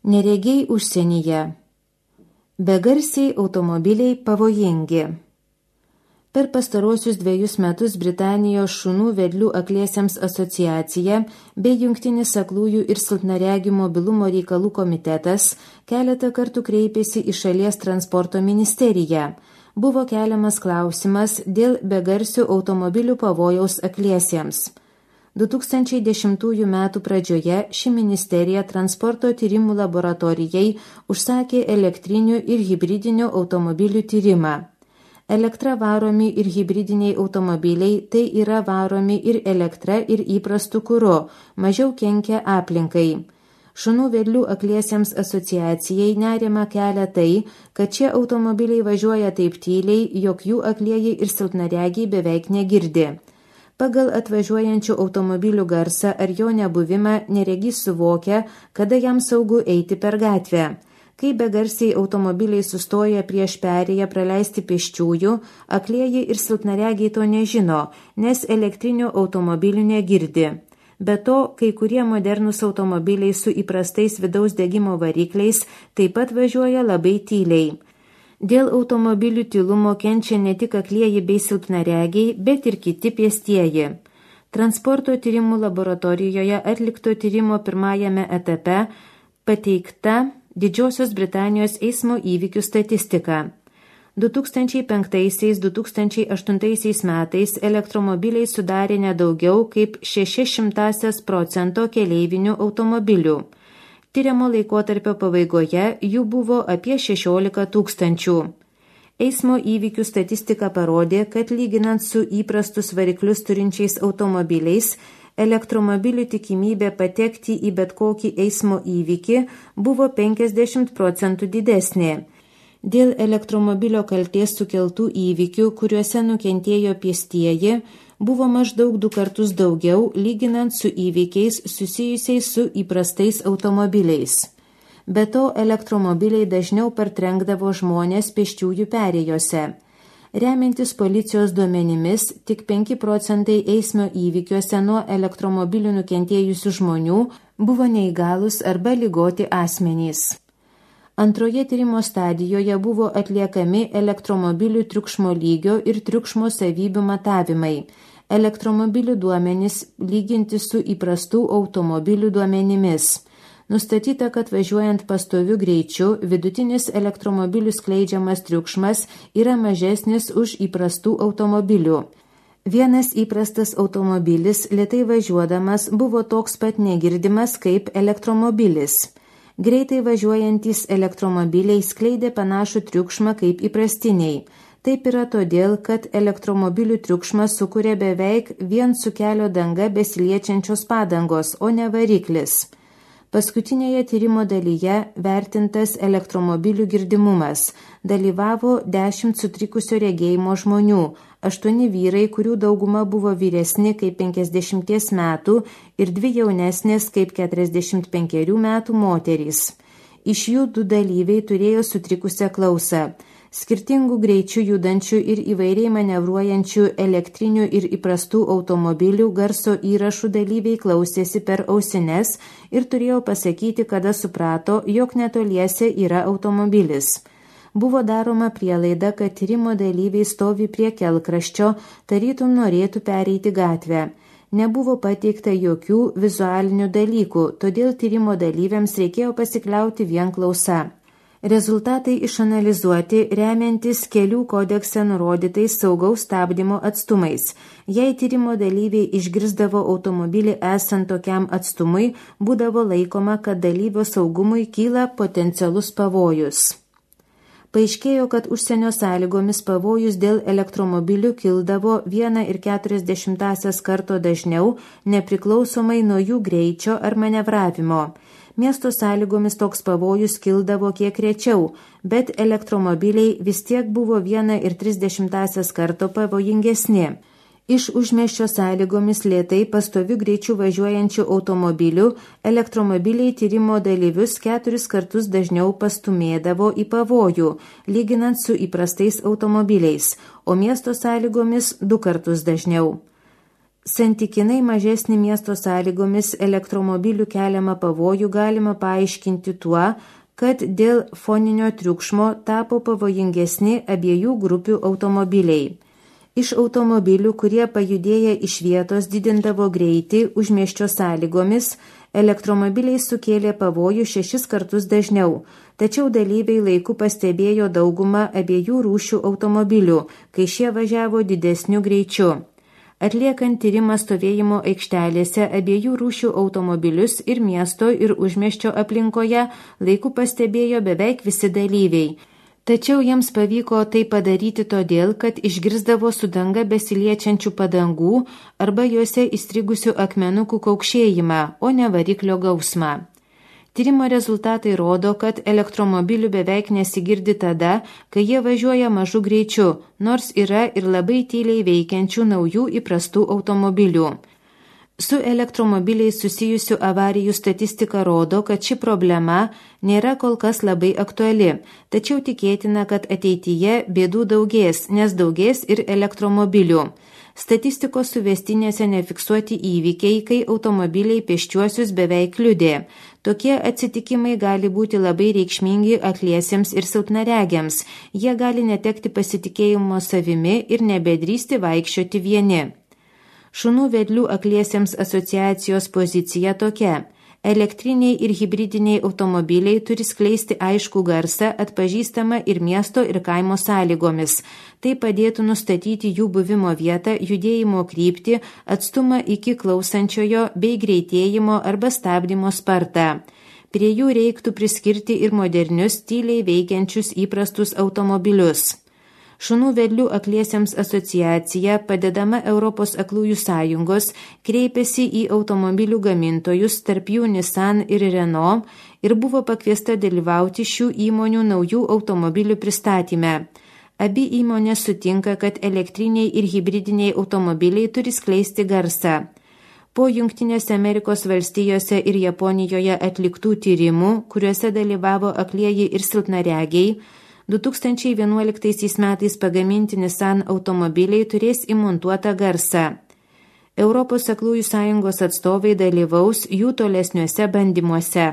Neregiai užsienyje. Begarsiai automobiliai pavojingi. Per pastarosius 2 metus Britanijos šunų vedlių akliesiems asociacija bei Jungtinis aklųjų ir silpnaregių mobilumo reikalų komitetas keletą kartų kreipėsi į šalies transporto ministeriją. Buvo keliamas klausimas dėl begarsių automobilių pavojaus akliesiems. 2010 m. pradžioje ši ministerija transporto tyrimų laboratorijai užsakė elektrinių ir hibridinių automobilių tyrimą. Elektra varomi ir hibridiniai automobiliai tai yra varomi ir elektra ir įprastu kuru, mažiau kenkia aplinkai. Šunų vedlių akliesiems asociacijai nerimą kelia tai, kad šie automobiliai važiuoja taip tyliai, jog jų aklieji ir silpnaregiai beveik negirdi. Pagal atvažiuojančių automobilių garsą ar jo nebuvimą neregys suvokia, kada jam saugu eiti per gatvę. Kai begarsiai automobiliai sustoja prieš perėją praleisti pėsčiųjų, aklieji ir silpnaregiai to nežino, nes elektrinių automobilių negirdi. Be to, kai kurie modernūs automobiliai su įprastais vidaus degimo varikliais taip pat važiuoja labai tyliai. Dėl automobilių tylumo kenčia ne tik aklieji bei silpnaregiai, bet ir kiti pėstieji. Transporto tyrimų laboratorijoje atlikto tyrimo pirmajame etape pateikta Didžiosios Britanijos eismo įvykių statistika. 2005–2008 metais elektromobiliai sudarė nedaugiau kaip 0,06% keleivinių automobilių. Tyriamo laikotarpio pabaigoje jų buvo apie 16 000. Eismo įvykių statistika parodė, kad lyginant su įprastus variklius turinčiais automobiliais, elektromobilių tikimybė patekti į bet kokį eismo įvykį buvo 50% didesnė. Dėl elektromobilio kaltės sukeltų įvykių, kuriuose nukentėjo pėstieji, buvo maždaug 2 kartus daugiau, lyginant su įvykiais susijusiais su įprastais automobiliais. Be to, elektromobiliai dažniau partrenkdavo žmonės pėsčiųjų perėjose. Remiantis policijos duomenimis, tik 5% eismo įvykiuose nuo elektromobilių nukentėjusių žmonių buvo neįgalūs arba ligoti asmenys. Antroje tyrimo stadijoje buvo atliekami elektromobilių triukšmo lygio ir triukšmo savybių matavimai. Elektromobilių duomenys lyginti su įprastų automobilių duomenimis. Nustatyta, kad važiuojant pastoviu greičiu, vidutinis elektromobilių skleidžiamas triukšmas yra mažesnis už įprastų automobilių. Vienas įprastas automobilis lėtai važiuodamas buvo toks pat negirdimas kaip elektromobilis. Greitai važiuojantys elektromobiliai skleidė panašų triukšmą kaip įprastiniai. Taip yra todėl, kad elektromobilių triukšmą sukuria beveik vien su kelio danga besiliečiančios padangos, o ne variklis. Paskutinėje tyrimo dalyje vertintas elektromobilių girdimumas. Dalyvavo 10 sutrikusio regėjimo žmonių, 8 vyrai, kurių dauguma buvo vyresni kaip 50 metų ir 2 jaunesnės kaip 45 metų moterys. Iš jų 2 dalyviai turėjo sutrikusią klausą. Skirtingų greičių judančių ir įvairiai manevruojančių elektrinių ir įprastų automobilių garso įrašų dalyviai klausėsi per ausines ir turėjo pasakyti, kada suprato, jog netoliese yra automobilis. Buvo daroma prielaida, kad tyrimo dalyviai stovi prie kelkraščio, tarytum norėtų pereiti gatvę. Nebuvo pateikta jokių vizualinių dalykų, todėl tyrimo dalyviams reikėjo pasikliauti vien klausa. Rezultatai išanalizuoti remiantis kelių kodekse nurodytais saugaus stabdymo atstumais. Jei tyrimo dalyviai išgirsdavo automobilį esant tokiam atstumui, būdavo laikoma, kad dalyvio saugumui kyla potencialus pavojus. Paaiškėjo, kad užsienio sąlygomis pavojus dėl elektromobilių kildavo 1,4 karto dažniau, nepriklausomai nuo jų greičio ar manevravimo. Miesto sąlygomis toks pavojus kildavo kiek rečiau, bet elektromobiliai vis tiek buvo 1,3 karto pavojingesni. Iš užmiesčio sąlygomis lėtai pastoviu greičiu važiuojančių automobilių elektromobiliai tyrimo dalyvius 4 kartus dažniau pastumėdavo į pavojų, lyginant su įprastais automobiliais, o miesto sąlygomis 2 kartus dažniau. Santykinai mažesnį miesto sąlygomis elektromobilių keliamą pavojų galima paaiškinti tuo, kad dėl foninio triukšmo tapo pavojingesni abiejų grupių automobiliai. Iš automobilių, kurie pajudėję iš vietos didindavo greitį užmiesčio sąlygomis, elektromobiliai sukėlė pavojų 6 kartus dažniau, tačiau dalyviai laiku pastebėjo daugumą abiejų rūšių automobilių, kai šie važiavo didesniu greičiu. Atliekant tyrimą stovėjimo aikštelėse abiejų rūšių automobilius ir miesto ir užmiesčio aplinkoje laiku pastebėjo beveik visi dalyviai. Tačiau jiems pavyko tai padaryti todėl, kad išgirsdavo su danga besiliečiančių padangų arba juose įstrigusių akmenukų kaukšėjimą, o ne variklio gausmą. Tyrimo rezultatai rodo, kad elektromobilių beveik nesigirdi tada, kai jie važiuoja mažu greičiu, nors yra ir labai tyliai veikiančių naujų įprastų automobilių. Su elektromobiliais susijusių avarijų statistika rodo, kad ši problema nėra kol kas labai aktuali, tačiau tikėtina, kad ateityje bėdų daugės, nes daugės ir elektromobilių. Statistikos suvestinėse nefiksuoti įvykiai, kai automobiliai pėsčiuosius beveik kliudė. Tokie atsitikimai gali būti labai reikšmingi akliesiems ir silpnaregiams. Jie gali netekti pasitikėjimo savimi ir nebedrįsti vaikščioti vieni. Šunų vedlių akliesiems asociacijos pozicija tokia. Elektriniai ir hibridiniai automobiliai turi skleisti aiškų garsą atpažįstamą ir miesto ir kaimo sąlygomis. Tai padėtų nustatyti jų buvimo vietą, judėjimo kryptį, atstumą iki klausančiojo bei greitėjimo arba stabdymo spartą. Prie jų reiktų priskirti ir modernius, tyliai veikiančius įprastus automobilius. Šunų vedlių akliesiems asociacija, padedama Europos aklųjų sąjungos, kreipėsi į automobilių gamintojus, tarp jų Nissan ir Renault, ir buvo pakviesta dalyvauti šių įmonių naujų automobilių pristatyme. Abi įmonės sutinka, kad elektriniai ir hibridiniai automobiliai turi skleisti garsą. Po Jungtinėse Amerikos valstijose ir Japonijoje atliktų tyrimų, kuriuose dalyvavo aklieji ir silpnaregiai, 2011 metais pagaminti Nissan automobiliai turės įmontuotą garsą. Europos aklųjų sąjungos atstovai dalyvaus jų tolesniuose bandymuose.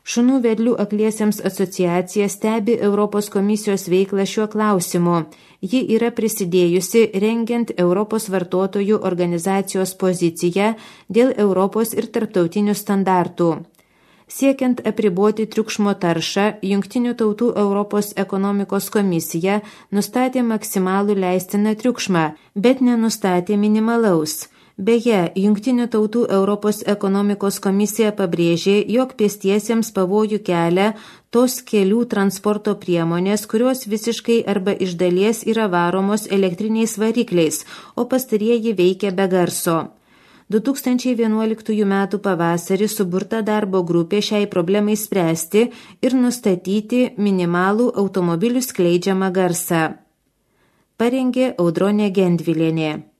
Šunų vedlių akliesiems asociacija stebi Europos komisijos veiklą šiuo klausimu. Ji yra prisidėjusi rengiant Europos vartotojų organizacijos poziciją dėl Europos ir tarptautinių standartų. Siekiant apriboti triukšmo taršą, Jungtinių tautų Europos ekonomikos komisija nustatė maksimalų leistiną triukšmą, bet nenustatė minimalaus. Beje, Jungtinių tautų Europos ekonomikos komisija pabrėžė, jog pėstiesiems pavojų kelia tos kelių transporto priemonės, kurios visiškai arba iš dalies yra varomos elektriniais varikliais, o pastarieji veikia be garso. 2011 m. pavasarį suburta darbo grupė šiai problemai spręsti ir nustatyti minimalų automobilių skleidžiamą garsą. Parengė Audronė Gendvilienė.